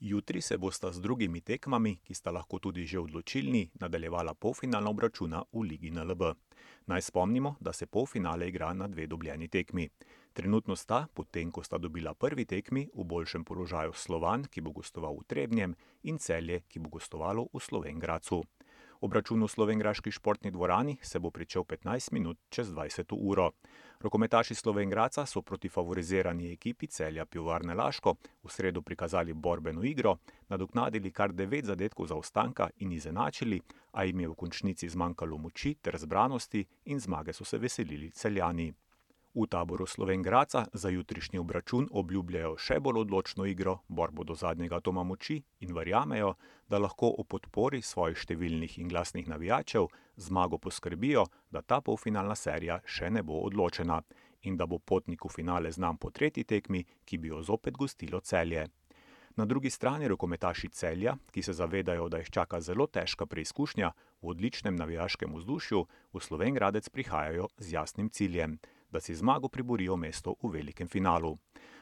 Jutri se bosta z drugimi tekmami, ki sta lahko tudi že odločilni, nadaljevala polfinalna obračuna v Ligi NLB. Naj spomnimo, da se polfinale igra na dve dobljeni tekmi. Trenutno sta, potem ko sta dobila prvi tekmi, v boljšem položaju Slovan, ki bo gostoval v Trebnjem, in Celje, ki bo gostovalo v Slovenj Gradcu. Obračun v slovenjgraški športni dvorani se bo pričel 15 minut čez 20. uro. Rokometaši Slovenj Gradca so proti favorizirani ekipi Celja Pivovarne Laško v sredo prikazali borbeno igro, nadoknadili kar 9 zadetkov zaostanka in izenačili, a jim je v končnici zmanjkalo moči ter zbranosti in zmage so se veselili Celjani. V taboru Slovenj Gradca za jutrišnji obračun obljubljajo še bolj odločno igro, borbo do zadnjega atoma moči in verjamejo, da lahko o podpori svojih številnih in glasnih navijačev zmago poskrbijo, da ta polfinalna serija še ne bo odločena in da bo potnik v finale znan po tretji tekmi, ki bi jo zopet gostilo Celje. Na drugi strani rokometaši Celja, ki se zavedajo, da jih čaka zelo težka preizkušnja v odličnem navijaškem vzdušju, v Slovenj Gradec prihajajo z jasnim ciljem, da si zmago priborijo mesto v velikem finalu.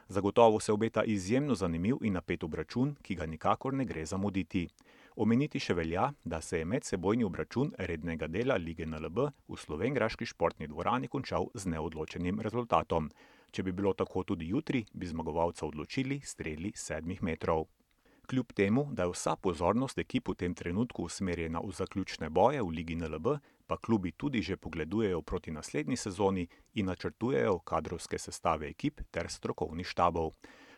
Zagotovo se obeta izjemno zanimiv in napet obračun, ki ga nikakor ne gre zamuditi. Omeniti še velja, da se je medsebojni obračun rednega dela Lige NLB v slovenjgraški športni dvorani končal z neodločenim rezultatom. Če bi bilo tako tudi jutri, bi zmagovalca odločili streli 7 metrov. Kljub temu, da je vsa pozornost ekip v tem trenutku usmerjena v zaključne boje v Ligi NLB, pa klubi tudi že pogledujejo proti naslednji sezoni in načrtujejo kadrovske sestave ekip ter strokovnih štabov.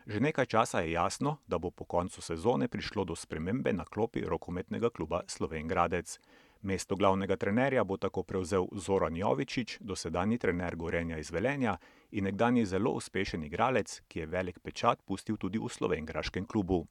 Že nekaj časa je jasno, da bo po koncu sezone prišlo do spremembe na klopi rokometnega kluba Slovenj Gradec. Mesto glavnega trenerja bo tako prevzel Zoran Jovičić, dosedanji trener Gorenja iz Velenja in nekdanji zelo uspešen igralec, ki je velik pečat pustil tudi v slovenjgraškem klubu.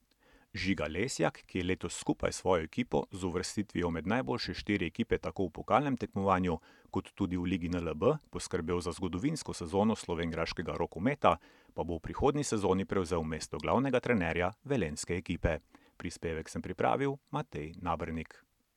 Žiga Lesjak, ki je letos skupaj s svojo ekipo z uvrstitvijo med najboljše 4 ekipe tako v pokalnem tekmovanju kot tudi v Ligi NLB poskrbel za zgodovinsko sezono slovenjgraškega rokometa, pa bo v prihodnji sezoni prevzel mesto glavnega trenerja velenjske ekipe. Prispevek sem pripravil Matej Nabernik.